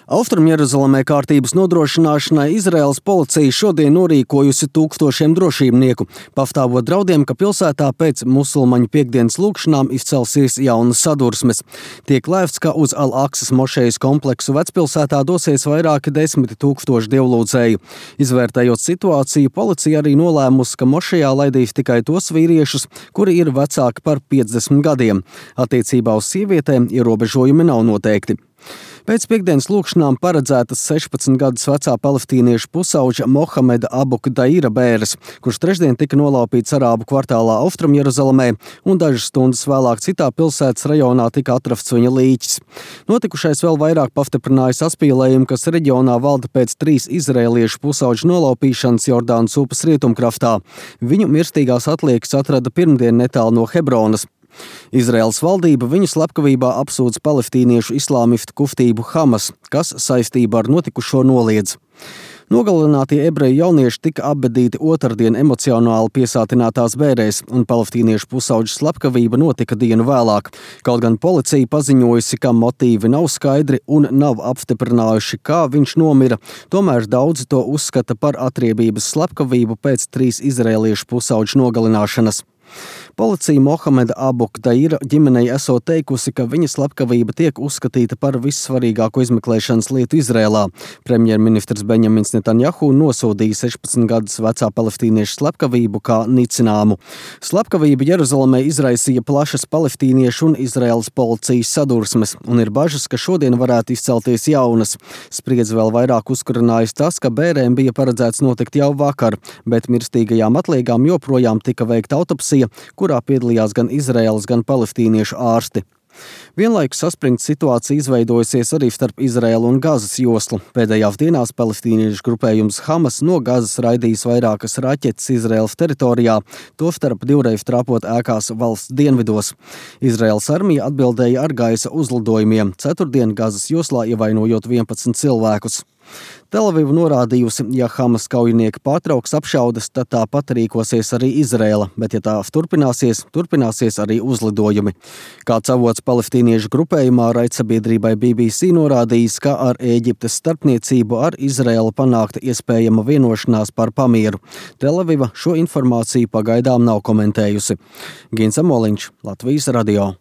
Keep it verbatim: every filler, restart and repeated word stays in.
Austrumjeruzalemē kārtības nodrošināšanai Izraēlas policija šodien norīkojusi tūkstošiem drošībnieku, pastāvot draudiem, ka pilsētā pēc musulmaņu piektdienas lūgšanām izcelsies jaunas sadursmes. Tiek lēsts, ka uz Al-Aksas mošejas kompleksu vecpilsētā dosies vairāki desmiti tūkstoši dievlūdzēju. Izvērtējot situāciju, policija arī nolēmusi, ka mošejā laidīs tikai tos vīriešus, kuri ir vecāki par piecdesmit gadiem. Attiecībā uz sievietēm ierobežojumi nav noteikti. Pēc piektdienas lūgšanām paredzētas sešpadsmit gadus vecā palestīniešu pusauģa Mohameda Abu Daira bēres, kurš trešdien tika nolaupīts arābu kvartālā Austrumjeruzalemē, un dažas stundas vēlāk citā pilsētas rajonā tika atrasts viņa līķis. Notikušais vēl vairāk pastiprināja saspīlējumu, kas reģionā valda pēc trīs izraēliešu pusauģu nolaupīšanas Jordānas upes rietumkraftā. Viņu mirstīgās atliekas atrada pirmdien netālu no Hebronas. Izraēlas valdība viņu slepkavībā apsūdz palestīniešu islāmistu kustību Hamas, kas saistībā ar notikušo noliedz. Nogalinātie ebreju jaunieši tika apbedīti otrdien emocionāli piesātinātās bērēs, un palestīniešu pusauģu slepkavība notika dienu vēlāk. Kaut gan policija paziņojusi, ka motīvi nav skaidri un nav apstiprinājuši, kā viņš nomira, tomēr daudzi to uzskata par atriebības slepkavību pēc trīs izraēliešu pusauģu nogalināšanas. Policija Mohameda Abu Daira ģimenei esot teikusi, ka viņa slepkavība tiek uzskatīta par vissvarīgāko izmeklēšanas lietu Izrēlā. Premjerministrs Benjamins Netanjahu nosodīja sešpadsmit gadus vecā palestīniešu slepkavību kā nicināmu. Slepkavība Jeruzalemē izraisīja plašas palestīniešu un Izraēlas policijas sadursmes, un ir bažas, ka šodien varētu izcelties jaunas. Spriedzi vēl vairāk uzkurinājis tas, ka bērēm bija paredzēts notikt jau vakar, bet mirstīgajām atliekām joprojām tika veikta autopsija, kurā piedalījās gan Izraēlas, gan palestīniešu ārsti. Vienlaikus saspringta situācija izveidojusies arī starp Izraēlu un Gazas joslu. Pēdējās dienās palestīniešu grupējums Hamas no Gazas raidījis vairākas raķetes Izraēlas teritorijā, tostarp divreiz trāpot ēkās valsts dienvidos. Izraēlas armija atbildēja ar gaisa uzlidojumiem, ceturtdien Gazas joslā ievainojot vienpadsmit cilvēkus. Telaviva norādījusi, ja Hamas kaujinieki pārtrauks apšaudes, tad tāpat rīkosies arī Izraēla, bet ja tā turpināsies, turpināsies arī uzlidojumi. Kāds avots palestīniešu grupējumā raidsabiedrībai B B C norādījis, ka ar Ēģiptes starpniecību ar Izraēlu panākta iespējama vienošanās par pamieru. Telaviva šo informāciju pagaidām nav komentējusi. Gins Amoliņš, Latvijas radio.